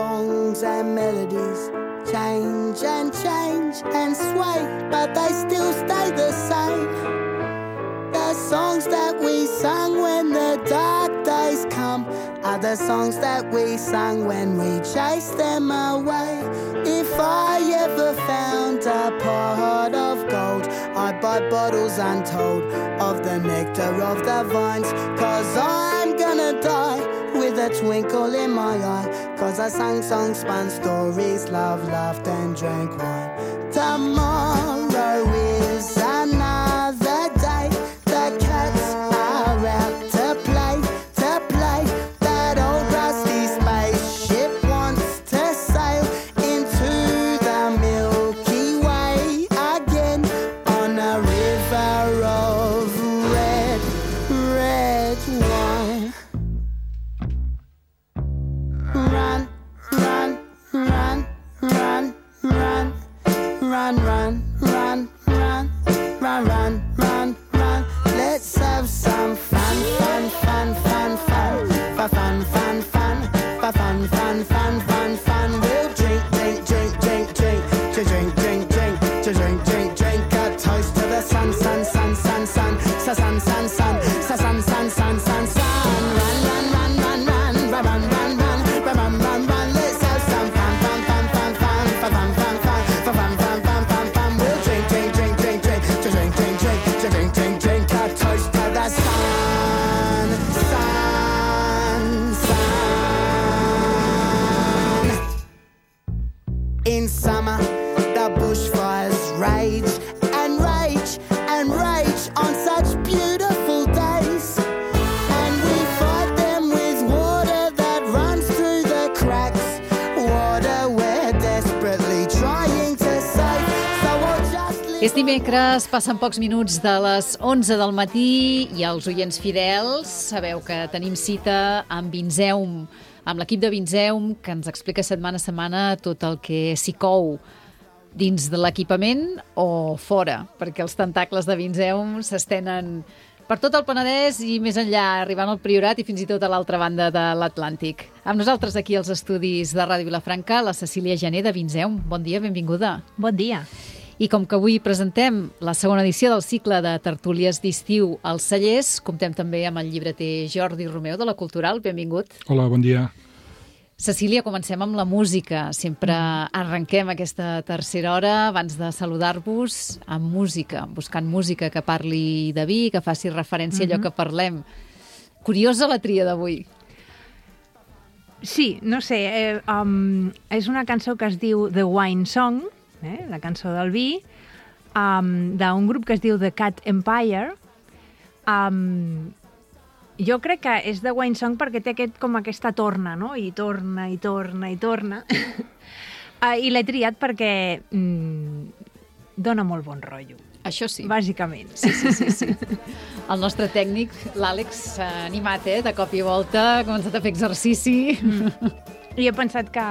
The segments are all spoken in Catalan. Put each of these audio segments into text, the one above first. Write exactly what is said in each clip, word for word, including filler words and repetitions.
songs and melodies change and change and sway, but they still stay the same. The songs that we sang when the dark days come are the songs that we sang when we chased them away. If I ever found a pot of gold, I'd buy bottles untold of the nectar of the vines, 'cause I'm gonna die with a twinkle in my eye, 'cause I sang songs, spun stories, loved, laughed and drank wine. Tomorrow is another day. The cats are out to play, to play. That old rusty spaceship wants to sail into the Milky Way again on a river of red, red wine. Run, run, run, run, run, run, run, run, run, run, run, run, run. Let's have some fun, fun, fun, fun, fun, fun, fun, fun, fun, fun, fun, fun, fun, fun. We'll drink, drink, drink, drink, drink, to drink, drink, drink, to drink, drink, drink. A toast to the sun, sun, sun, sun, sun, sun, sun, sun, sun, sun, sun, sun, sun, sun. Run, run, run, run, run, run, run, run, run, run, run, run. Let's have some fun, fun, fun, fun, fun, fun, fun, fun, fun, fun, fun, fun, fun, fun. We'll drink, drink, drink, drink, drink, to drink, drink, drink, to drink, drink, drink. A toast to the sun, sun, sun. In summer, the bushfires rage and rage and rage on such beautiful days, and we fight them with water that runs through the cracks, water we're desperately trying to save, so we'll just live. És dimecres, passen pocs minuts de les onze del matí i els oients fidels sabeu que tenim cita amb Vinzeum, amb l'equip de Vinzeum, que ens explica setmana a setmana tot el que s'hi cou dins de l'equipament o fora, perquè els tentacles de Vinzeum s'estenen per tot el Penedès i més enllà, arribant al Priorat i fins i tot a l'altra banda de l'Atlàntic. Amb nosaltres aquí als estudis de Ràdio Vilafranca, la Cecília Gené de Vinzeum. Bon dia, benvinguda. Bon dia. I com que avui presentem la segona edició del cicle de tertúlies d'estiu als Cellers, comptem també amb el llibreter Jordi Romeu de la Cultural. Benvingut. Hola, bon dia. Cecília, comencem amb la música. Sempre arrenquem aquesta tercera hora abans de saludar-vos amb música, buscant música que parli de vi, que faci referència a allò que parlem. Curiosa la tria d'avui. Sí, no sé, eh, um, és una cançó que es diu The Wine Song, eh, la cançó del vi, um, d'un grup que es diu The Cat Empire. Um, jo crec que és The Wine Song perquè té aquest, com aquesta torna, no? I torna, i torna, i torna. uh, I l'he triat perquè mm, dona molt bon rotllo. Això sí. Bàsicament. Sí, sí, sí, sí. El nostre tècnic, l'Àlex, s'ha animat, eh? De cop i volta, ha començat a fer exercici. Mm. I he pensat que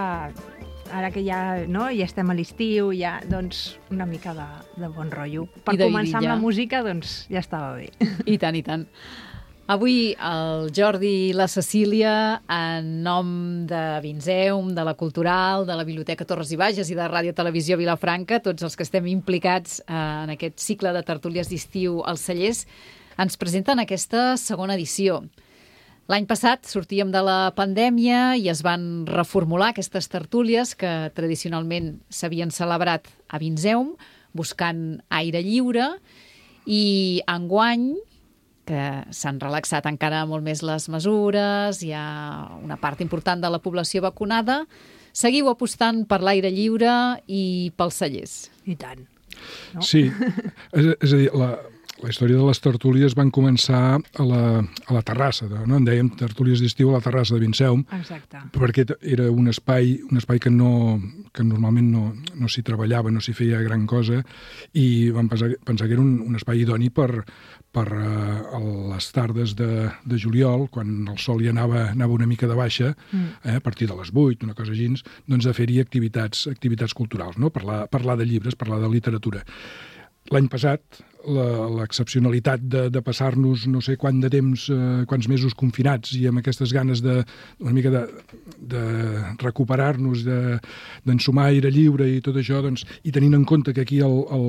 ara que ja, no, ja estem a l'estiu, ja, doncs, una mica de, de bon rotllo. Per començar amb la música, doncs, ja estava bé. I tant, i tant. Avui el Jordi i la Cecília, en nom de Vinzeum, de la Cultural, de la Biblioteca Torres i Bages i de Ràdio Televisió Vilafranca, tots els que estem implicats en aquest cicle de tertúlies d'estiu als Cellers, ens presenten aquesta segona edició. L'any passat sortíem de la pandèmia i es van reformular aquestes tertúlies que tradicionalment s'havien celebrat a Vinzeum, buscant aire lliure, i enguany, que s'han relaxat encara molt més les mesures, hi ha una part important de la població vacunada, seguiu apostant per l'aire lliure i pels cellers. I tant. No? Sí, és, és a dir, la, la història de les tertúlies van començar a la, a la terrassa, de, no? En dèiem tertúlies d'estiu a la terrassa de Vinzeum. Exacte. Perquè era un espai, un espai que, no, que normalment no, no s'hi treballava, no s'hi feia gran cosa, i vam pensar, pensar que era un, un espai idoni per per uh, les tardes de, de juliol, quan el sol ja anava, anava una mica de baixa, mm. eh, a partir de les vuit, una cosa així, doncs de fer-hi activitats, activitats culturals, no? Parlar, parlar de llibres, parlar de literatura. l'any passat, l'excepcionalitat de, de passar-nos no sé quant de temps, eh, quants mesos confinats i amb aquestes ganes de una mica de, de recuperar-nos, d'ensumar aire lliure i tot això, doncs, i tenint en compte que aquí el, el,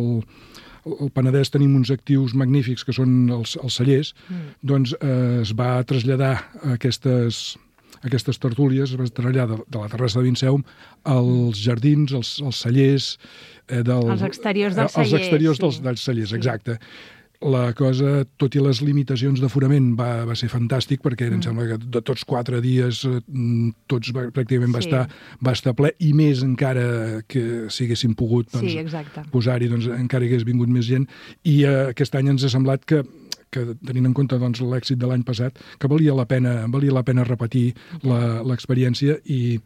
el Penedès tenim uns actius magnífics que són els, els cellers, mm. doncs eh, es va traslladar aquestes... aquestes tertúlies, es va traslladar de, de la terrassa de Vinceum als jardins, als, als cellers... Eh, del, els exteriors dels cellers. Els exteriors sí. dels, dels cellers, exacte. La cosa, tot i les limitacions d'aforament, va, va ser fantàstic, perquè mm. em sembla que de tots quatre dies tots va, pràcticament va, sí. estar, va estar ple, i més encara que si haguéssim pogut doncs, sí, posar-hi, doncs, encara hagués vingut més gent. I eh, aquest any ens ha semblat que que tenint en compte doncs, l'èxit de l'any passat, que valia la pena, valia la pena repetir l'experiència i,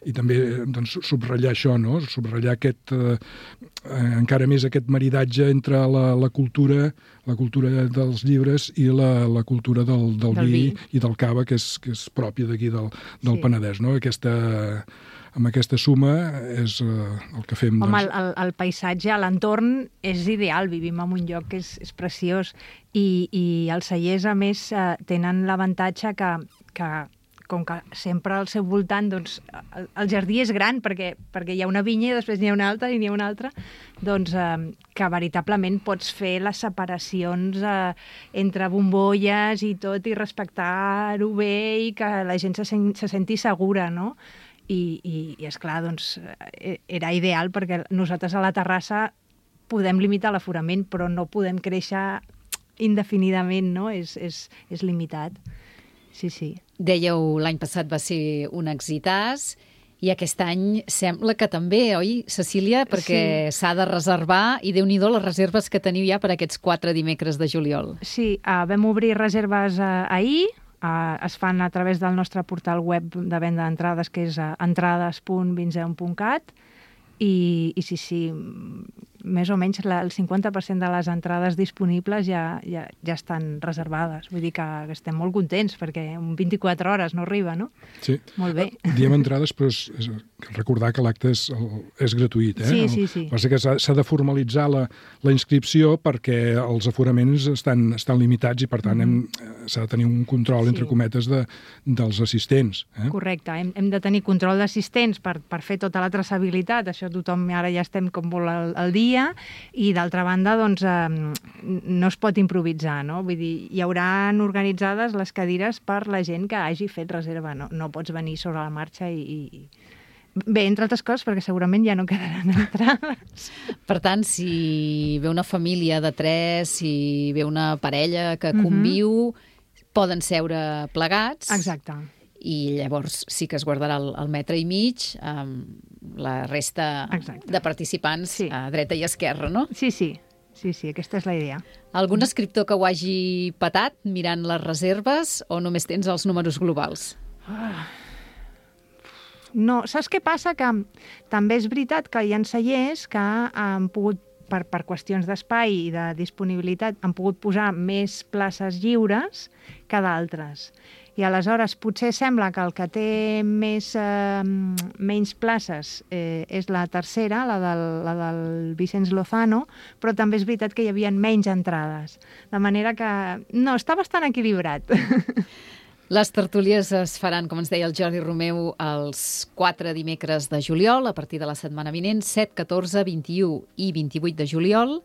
i també doncs, subratllar això, no? Subratllar aquest, eh, encara més aquest maridatge entre la, la cultura la cultura dels llibres i la, la cultura del, del, del vi, vi i del cava, que és, que és pròpia d'aquí del, del sí. Penedès, no? Aquesta... amb aquesta suma és uh, el que fem. Home, doncs... el, el paisatge, l'entorn és ideal, vivim en un lloc que és, és preciós i, i els cellers, a més, uh, tenen l'avantatge que, que com que sempre al seu voltant, doncs, el, el jardí és gran perquè, perquè hi ha una vinya i després n'hi ha una altra i n'hi ha una altra, doncs eh, que veritablement pots fer les separacions eh, entre bombolles i tot i respectar-ho bé i que la gent se, sen se senti segura, no? I, i, i esclar, doncs, era ideal perquè nosaltres a la terrassa podem limitar l'aforament, però no podem créixer indefinidament, no? És, és, és limitat. Sí, sí. Dèieu, l'any passat va ser un exitàs i aquest any sembla que també, oi, Cecília? Perquè s'ha sí. de reservar i Déu-n'hi-do les reserves que teniu ja per aquests quatre dimecres de juliol. Sí, uh, vam obrir reserves uh, ahir. Uh, es fan a través del nostre portal web de venda d'entrades, que és uh, entrades punt vinceum punt cat, i, i sí, sí, més o menys la, el cinquanta per cent de les entrades disponibles ja, ja, ja estan reservades. Vull dir que, que estem molt contents, perquè en vint-i-quatre hores no arriba, no? Sí. Molt bé. Diem entrades, però és, és recordar que l'acte és, és gratuït, eh? Sí, sí, sí. El, que s'ha de formalitzar la, la inscripció perquè els aforaments estan, estan limitats i, per tant, mm. s'ha de tenir un control, sí. entre cometes, de, dels assistents. Eh? Correcte. Hem, hem de tenir control d'assistents per, per fer tota la traçabilitat. Això tothom, ara ja estem com molt al, al dia, i d'altra banda, doncs, eh, no es pot improvisar, no? Vull dir, hi hauran organitzades les cadires per la gent que hagi fet reserva, no, no pots venir sobre la marxa i... i... Bé, entre altres coses, perquè segurament ja no quedaran entrades. Per tant, si ve una família de tres, si ve una parella que conviu, mm-hmm. poden seure plegats. Exacte. I llavors sí que es guardarà el, el metre i mig amb la resta Exacte. De participants sí. a dreta i esquerra, no? Sí, sí. Sí, sí, aquesta és la idea. Algun escriptor que ho hagi patat mirant les reserves o només tens els números globals? Ah. No, saps què passa? Que també és veritat que hi ha cellers que han pogut, per, per qüestions d'espai i de disponibilitat, han pogut posar més places lliures que d'altres. I aleshores potser sembla que el que té més, eh, menys places eh, és la tercera, la del, la del Vicenç Lozano, però també és veritat que hi havia menys entrades. De manera que, no, està bastant equilibrat. Les tertúlies es faran, com ens deia el Jordi Romeu, els quatre dimecres de juliol, a partir de la setmana vinent, set, catorze, vint-i-u i vint-i-vuit de juliol,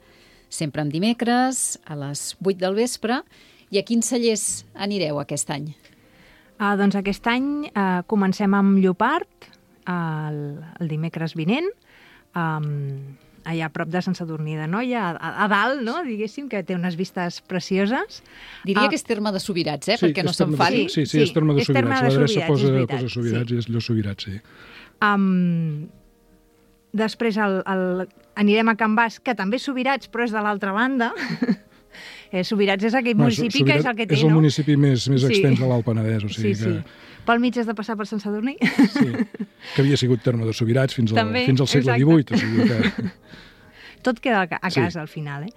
sempre en dimecres, a les vuit del vespre. I a quins cellers anireu aquest any? Uh, doncs aquest any uh, comencem amb Llopart, el, el dimecres vinent, um, allà a prop de Sant Sadurní d'Anoia, a, a dalt, no?, diguéssim, que té unes vistes precioses. Diria uh, que és Terme de Subirats, eh?, sí, perquè no s'enfadi. Sí, sí, sí, és Terme de Subirats. L'adreça posa, posa Subirats sí. i és Llo Subirats, sí. Um, després el, el, anirem a Can Bas, que també és Subirats, però és de l'altra banda. eh, Subirats és aquell no, municipi Subirats que és el que té, és el no? municipi més, més sí. extens de l'Alt Penedès, o sigui sí, sí. que... Pel mig has de passar per Sant Sadurní. Sí, que havia sigut Terme de Subirats fins al, també, fins al segle exacte. divuit, o sigui que... tot queda a casa sí. al final. Eh?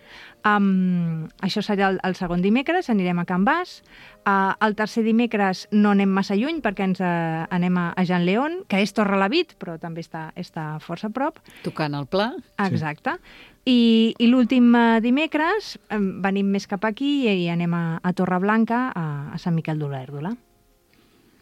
Um, això serà el, el segon dimecres, anirem a Can Bas. Uh, el tercer dimecres no anem massa lluny perquè ens uh, anem a, a Jan León, que és Torrelavit, però també està, està força a prop. Tocant el pla. Exacte. I, i l'últim uh, dimecres um, venim més cap aquí i, i anem a, a Torreblanca, a, a Sant Miquel d'Olèrdola.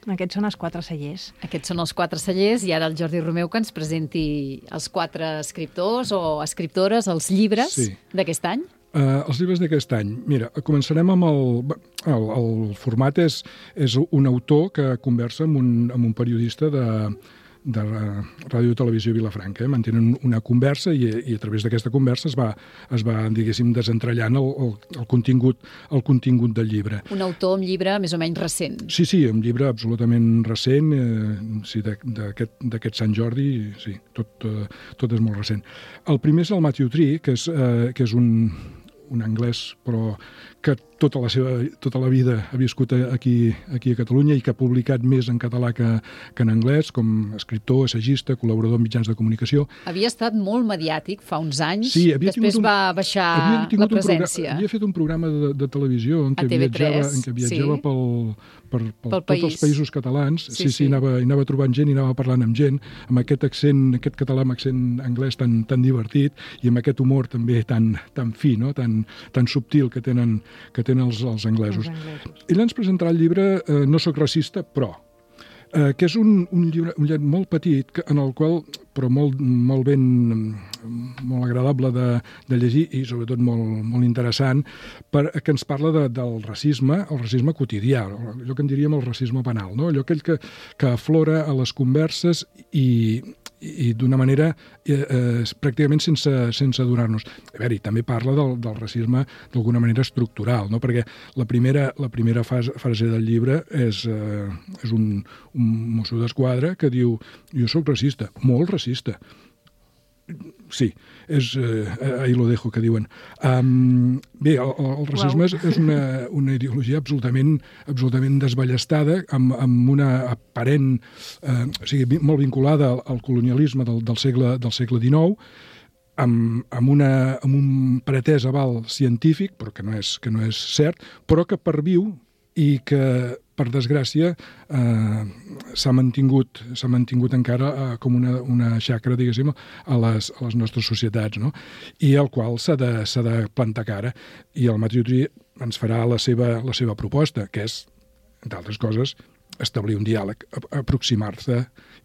Aquests són els quatre cellers. Aquests són els quatre cellers i ara el Jordi Romeu que ens presenti els quatre escriptors o escriptores, els llibres sí. d'aquest any. Uh, els llibres d'aquest any. Mira, començarem amb el... El, el format és, és un autor que conversa amb un, amb un periodista de, de Ràdio Televisió Vilafranca. Eh? Mantenen una conversa i, i a través d'aquesta conversa es va, es va diguéssim, desentrellant el, el, el, contingut, el contingut del llibre. Un autor amb llibre més o menys recent. Sí, sí, un llibre absolutament recent, eh, sí, d'aquest Sant Jordi, sí, tot, eh, tot és molt recent. El primer és el Matthew Tree, que és, eh, que és un... un anglès, però que tota la seva tota la vida ha viscut aquí, aquí a Catalunya i que ha publicat més en català que, que en anglès, com escriptor, assagista, col·laborador en mitjans de comunicació. Havia estat molt mediàtic fa uns anys, sí, després un, va baixar la presència. Havia fet un programa de, de televisió en què viatjava, en què viatjava sí. pel, per, pel, pel tots els països catalans. Sí, sí, sí, sí. Anava, anava trobant gent i anava parlant amb gent, amb aquest accent, aquest català amb accent anglès tan, tan divertit i amb aquest humor també tan, tan fi, no? tan, tan subtil que tenen que tenen els, els anglesos. Els anglesos. Ell ens presentarà el llibre eh, No soc racista, però, eh, que és un, un llibre un llibre molt petit, que, en el qual, però molt, molt ben, molt agradable de, de llegir i sobretot molt, molt interessant, per, que ens parla de, del racisme, el racisme quotidià, allò que en diríem el racisme penal, no? Allò aquell que, que aflora a les converses i i d'una manera eh, eh, pràcticament sense, sense adonar-nos. A veure, també parla del, del racisme d'alguna manera estructural, no? Perquè la primera, la primera fase, frase del llibre és, eh, és un, un mosso d'esquadra que diu jo sóc racista, molt racista. Sí, és eh, ahí lo dejo, que diuen. Um, bé, el, el racisme wow. és una, una ideologia absolutament, absolutament desballestada, amb, amb una aparent, eh, o sigui, molt vinculada al, al colonialisme del, del, segle, del segle dinou, amb, amb, una, amb un pretès aval científic, però que no és, que no és cert, però que perviu i que, per desgràcia, eh, s'ha mantingut, s'ha mantingut encara eh, com una, una xacra, diguéssim, a les, a les nostres societats, no? I al qual s'ha de, s'ha de plantar cara. I el Matthew Tree ens farà la seva, la seva proposta, que és, entre altres coses, establir un diàleg, aproximar-se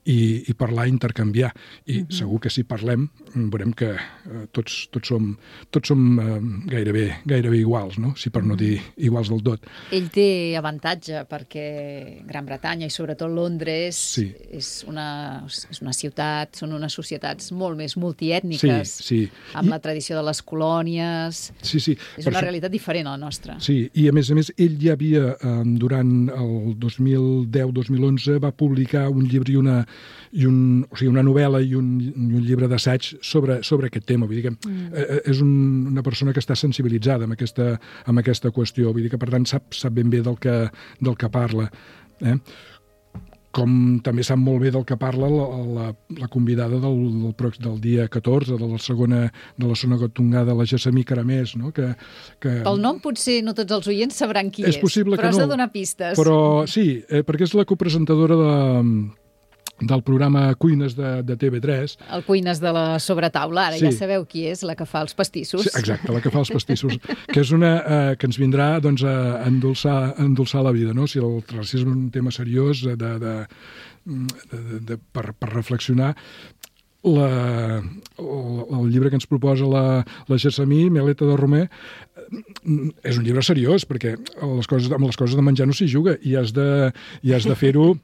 i, i parlar, intercanviar. I mm-hmm. segur que si parlem veurem que eh, tots, tots som, tots som eh, gairebé, gairebé iguals, no? Si per no dir iguals del tot. Ell té avantatge perquè Gran Bretanya i sobretot Londres sí. és, una, és una ciutat, són unes societats molt més multiètniques, sí, sí. amb I... la tradició de les colònies. Sí, sí. És una per realitat diferent a la nostra. Sí, i a més a més ell ja havia, eh, durant el dos mil deu dos mil onze, va publicar un llibre i una, i un, o sigui, una novel·la i un, i un llibre d'assaig sobre, sobre aquest tema. Vull dir que mm. eh, és un, una persona que està sensibilitzada amb aquesta, amb aquesta qüestió. Vull dir que, per tant, sap, sap ben bé del que, del que parla. Eh? Com també sap molt bé del que parla la, la, la convidada del, del, del dia catorze, de la segona, de la segona tongada, la Gessamí Caramés, no? Que, que... Pel nom potser no tots els oients sabran qui és, és possible però que has no, de donar pistes. Però sí, eh, perquè és la copresentadora de, del programa Cuines de, de T V tres. El Cuines de la sobretaula, ara sí. Ja sabeu qui és, la que fa els pastissos. Sí, exacte, la que fa els pastissos, que és una eh, que ens vindrà doncs, a endolçar, a endolçar la vida, no? Si el racisme és un tema seriós de, de, de, de, de, per, per reflexionar, la, el, el llibre que ens proposa la, la Gessamí, Meleta de Romer, és un llibre seriós, perquè les coses, amb les coses de menjar no s'hi juga, i has de, i has de fer-ho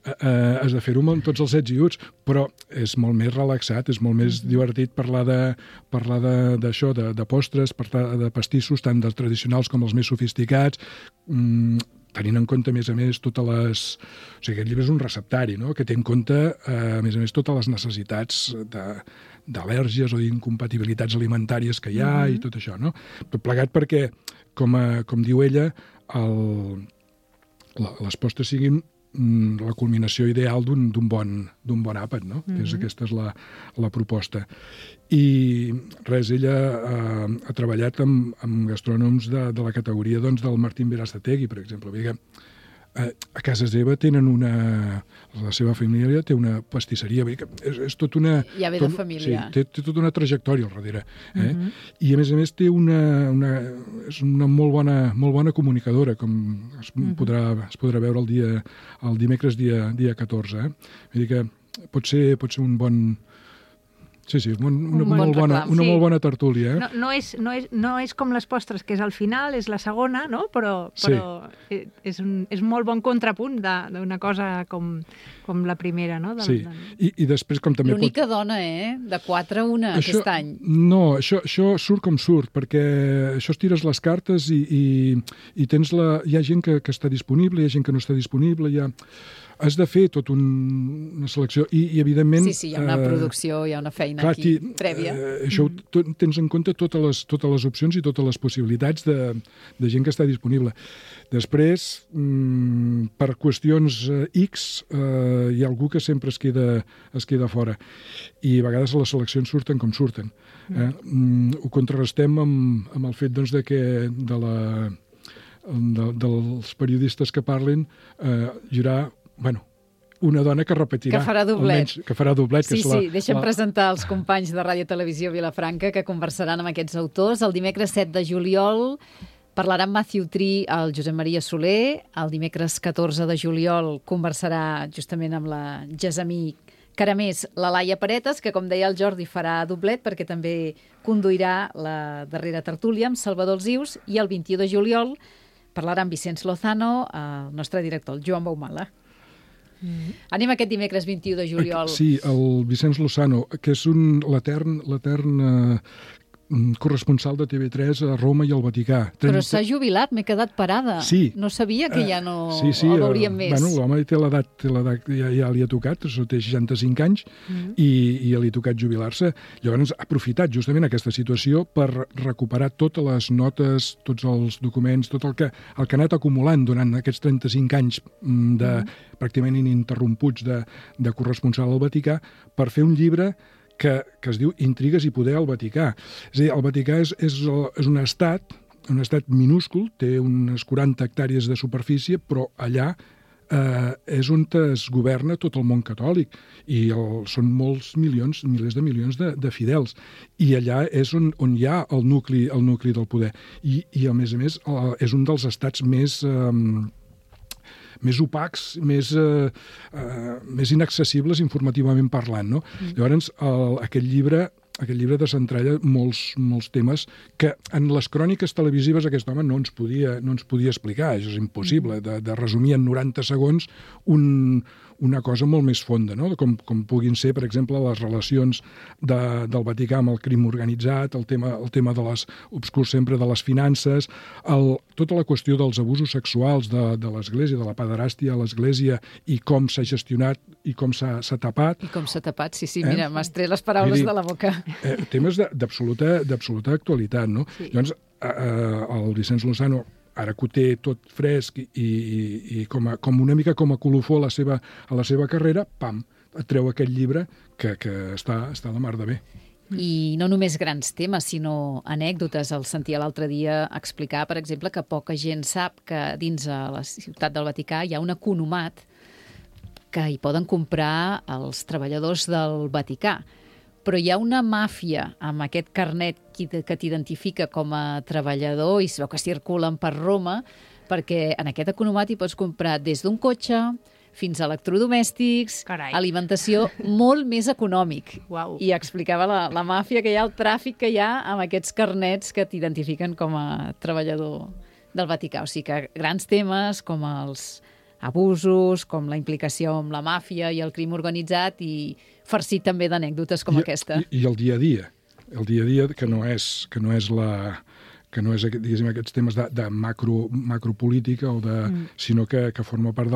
eh, has de fer-ho amb tots els ets i uts, però és molt més relaxat, és molt més divertit parlar de parlar d'això, de, de, de postres, parlar de pastissos, tant dels tradicionals com els més sofisticats, mm, tenint en compte, a més a més, totes les... O sigui, aquest llibre és un receptari, no?, que té en compte, eh, a més a més, totes les necessitats de, d'al·lèrgies o d'incompatibilitats alimentàries que hi ha, mm-hmm. i tot això, no? Tot plegat perquè, com, a, com diu ella, el, la, les postres siguin la culminació ideal d'un bon, d'un bon àpat, no? Mm-hmm. és, aquesta és la, la proposta. I res, ella ha, ha treballat amb, amb gastrònoms de, de la categoria doncs, del Martín Berazategui, per exemple. Vull dir que a, a casa seva tenen una... La seva família té una pastisseria, vull dir que és, és tot una... Ja ve tot, de família. Sí, té, té tota una trajectòria al darrere. Eh? Mm-hmm. I, a més a més, té una... una és una molt bona, molt bona comunicadora, com es, mm-hmm. podrà, es podrà veure el, dia, el dimecres dia, dia catorze. Eh? Vull dir que pot ser, pot ser un bon... Sí, sí, una, una, un bon molt, bona, una sí. molt bona tertúlia. Eh? No, no, és, no, és, no és com les postres, que és al final, és la segona, no? Però, però sí. és, un, és molt bon contrapunt d'una cosa com, com la primera, no? Del, sí, del... I, i després com també... L'única pot... dona, eh? De quatre a una això, aquest any. No, això, això surt com surt, perquè això es tires les cartes i, i, i tens la... hi ha gent que, que està disponible, hi ha gent que no està disponible, hi ha... Has de fer tota un, una selecció i, i evidentment... Sí, sí, hi ha una eh, producció, hi ha una feina clar, aquí aquí, prèvia. Eh, això mm. to, tens en compte totes les, totes les opcions i totes les possibilitats de, de gent que està disponible. Després, mm, per qüestions eh, X, eh, hi ha algú que sempre es queda, es queda fora. I a vegades les seleccions surten com surten. Eh? Mm, ho contrarrestem amb, amb el fet doncs, de que de la, de, dels periodistes que parlin eh, hi haurà bueno, una dona que repetirà. Que farà doblet. Almenys, que farà doblet. Sí, que és la, sí, deixa'm la... presentar els companys de Ràdio Televisió Vilafranca que conversaran amb aquests autors. El dimecres set de juliol parlarà amb Matthew Tree el Josep Maria Soler. El dimecres catorze de juliol conversarà justament amb la Gessamí Caramés, la Laia Paretes, que com deia el Jordi farà doblet perquè també conduirà la darrera tertúlia amb Salvador Alzius, i el vint-i-u de juliol parlarà amb Vicenç Lozano, el nostre director, el Joan Baumala. Mm. Anem aquest dimecres vint-i-u de juliol. Sí, el Vicenç Lozano, que és un l'etern l'etern eh, corresponsal de T V tres a Roma i al Vaticà. Però s'ha jubilat, m'he quedat parada. Sí. No sabia que ja no sí, sí, el veuríem més. Bueno, l'home té l'edat, té l'edat ja, ja li ha tocat, té seixanta-cinc anys, mm. i, i ja li ha tocat jubilar-se. Llavors ha aprofitat justament aquesta situació per recuperar totes les notes, tots els documents, tot el que, el que ha anat acumulant durant aquests trenta-cinc anys de mm. pràcticament ininterromputs de, de corresponsal al Vaticà, per fer un llibre que, que es diu Intrigues i poder al Vaticà. És a dir, el Vaticà és, és, és un estat, un estat minúscul, té unes quaranta hectàrees de superfície, però allà eh, és on es governa tot el món catòlic, i el, són molts milions, milers de milions de, de fidels, i allà és on, on hi ha el nucli, el nucli del poder. I, i a més a més, és un dels estats més... Eh, més opacs, més, eh, eh, més inaccessibles informativament parlant, no? Mm. Llavors, el, aquest llibre aquest llibre desentralla molts, molts temes que en les cròniques televisives aquest home no ens podia, no ens podia explicar. Això és impossible, de, de resumir en noranta segons un, una cosa molt més fonda, no? Com, com puguin ser, per exemple, les relacions de, del Vaticà amb el crim organitzat, el tema, el tema de les obscurs sempre de les finances, el, tota la qüestió dels abusos sexuals de, de l'Església, de la pederàstia a l'Església, i com s'ha gestionat i com s'ha tapat. I com s'ha tapat, sí, sí, mira, eh? m'has tret les paraules dir, de la boca. Eh, temes d'absoluta d'absoluta actualitat, no? Sí. Llavors, eh, el Vicenç Lozano, ara que ho té tot fresc i, i, i com, a, com una mica com a colofó a la seva, a la seva carrera, pam, et treu aquest llibre que, que està, està de mar de bé. I no només grans temes, sinó anècdotes. El sentia l'altre dia explicar, per exemple, que poca gent sap que dins a la ciutat del Vaticà hi ha un economat que hi poden comprar els treballadors del Vaticà. Però hi ha una màfia amb aquest carnet que t'identifica com a treballador i es veu que circulen per Roma, perquè en aquest economat hi pots comprar des d'un cotxe fins a electrodomèstics, Carai. alimentació molt més econòmic. Uau. I explicava la, la màfia que hi ha, el tràfic que hi ha amb aquests carnets que t'identifiquen com a treballador del Vaticà. O sigui que grans temes com els abusos, com la implicació amb la màfia i el crim organitzat, i farcit també d'anècdotes com I, aquesta. I, I el dia a dia, el dia a dia que no és, que no és la que no és, diguéssim, aquests temes de, de macro, macropolítica, o de, mm. sinó que, que forma part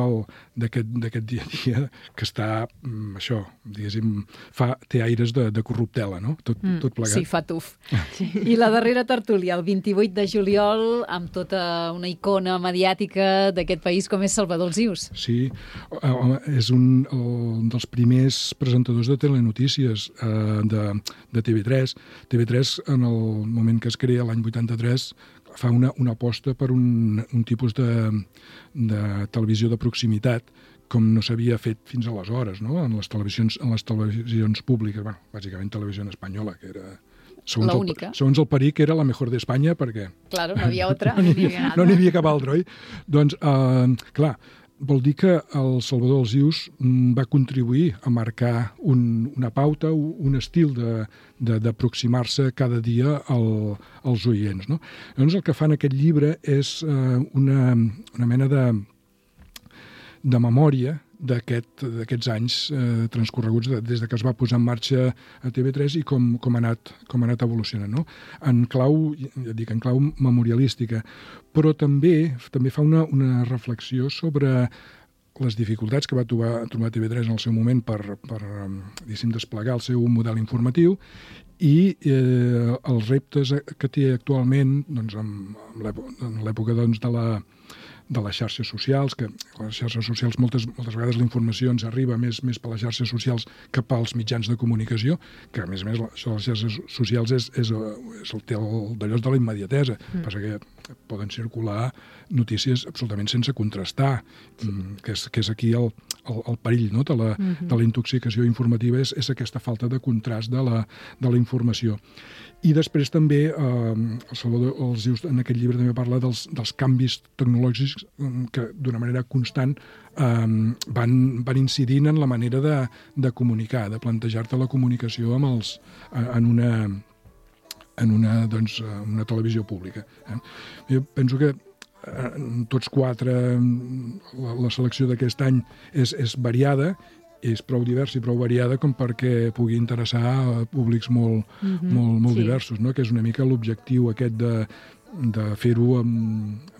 d'aquest dia a dia que està, mm, això, diguéssim, fa, té aires de, de corruptela, no? Tot, mm. tot plegat. Sí, fa tuf. Sí. I la darrera tertúlia, el vint-i-vuit de juliol, amb tota una icona mediàtica d'aquest país com és Salvador Alsius. Sí, és un, un dels primers presentadors de telenotícies eh, de, de T V tres. T V tres, en el moment que es crea, l'any vuitanta-tres, fa una, una aposta per un, un tipus de, de televisió de proximitat com no s'havia fet fins aleshores, no? En les televisions, en les televisions públiques, bueno, bàsicament televisió espanyola, que era... Segons la única. El, segons el Peric, era la mejor d'Espanya, perquè... Claro, no havia altra. No n'hi havia, no havia cap altra, oi? Doncs, eh, clar, vol dir que el Salvador Alsius va contribuir a marcar un, una pauta, un estil d'aproximar-se cada dia al, als oients, no? Llavors, el que fa en aquest llibre és eh, una, una mena de, de memòria d'aquests aquest, anys eh, transcorreguts de, des de que es va posar en marxa a T V tres i com, com, ha, anat, com ha anat evolucionant, no? En clau, ja dic, en clau memorialística, però també també fa una, una reflexió sobre les dificultats que va trobar, trobar T V tres en el seu moment per, per desplegar el seu model informatiu i eh, els reptes que té actualment, doncs, en l'època doncs, de la de les xarxes socials, que les xarxes socials moltes, moltes vegades la informació ens arriba més, més per les xarxes socials que pels mitjans de comunicació, que a més a més això de les xarxes socials és, és, és el, té d'allò de la immediatesa, mm. passa que poden circular notícies absolutament sense contrastar, mm, que, és, que és aquí el, el, el perill, no? de, la, mm-hmm. de la intoxicació informativa, és, és aquesta falta de contrast de la, de la informació. I després també, eh, el Salvador Alsius en aquest llibre també parla dels, dels canvis tecnològics que d'una manera constant eh, van, van incidint en la manera de, de comunicar, de plantejar-te la comunicació amb els, en una, en una, doncs, una televisió pública. Eh? Jo penso que eh, tots quatre, la, la selecció d'aquest any és, és variada, és prou diversa i prou variada com perquè pugui interessar a públics molt, mm-hmm. molt, molt sí. diversos, no? Que és una mica l'objectiu aquest de, de fer-ho en,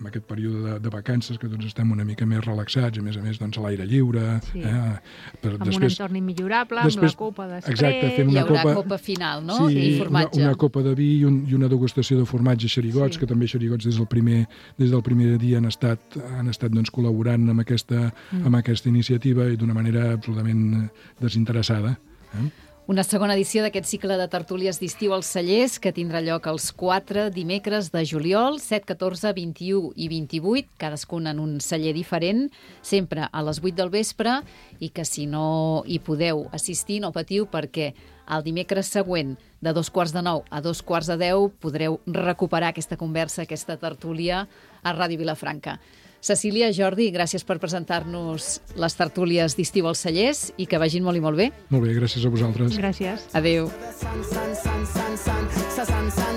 en aquest període de, de vacances, que doncs estem una mica més relaxats, a més a més doncs, a l'aire lliure. Sí. Eh? Per, amb després, un entorn immillorable, després, amb la copa després. Exacte, fem una hi haurà copa, copa final, no? Sí, I formatge. Una, una copa de vi i, un, i una degustació de formatge xerigots, sí. que també xerigots des del primer, des del primer dia han estat, han estat doncs, col·laborant amb aquesta, mm. amb aquesta iniciativa i d'una manera absolutament desinteressada. Eh? Una segona edició d'aquest cicle de tertúlies d'estiu als Cellers, que tindrà lloc els quatre dimecres de juliol, set, catorze, vint-i-u i vint-i-vuit, cadascun en un celler diferent, sempre a les vuit del vespre, i que si no hi podeu assistir, no patiu, perquè el dimecres següent, de dos quarts de nou a dos quarts de deu, podreu recuperar aquesta conversa, aquesta tertúlia a Ràdio Vilafranca. Cecília, Jordi, gràcies per presentar-nos les tertúlies d'estiu als Cellers i que vagin molt i molt bé. Molt bé, gràcies a vosaltres. Gràcies. Adéu.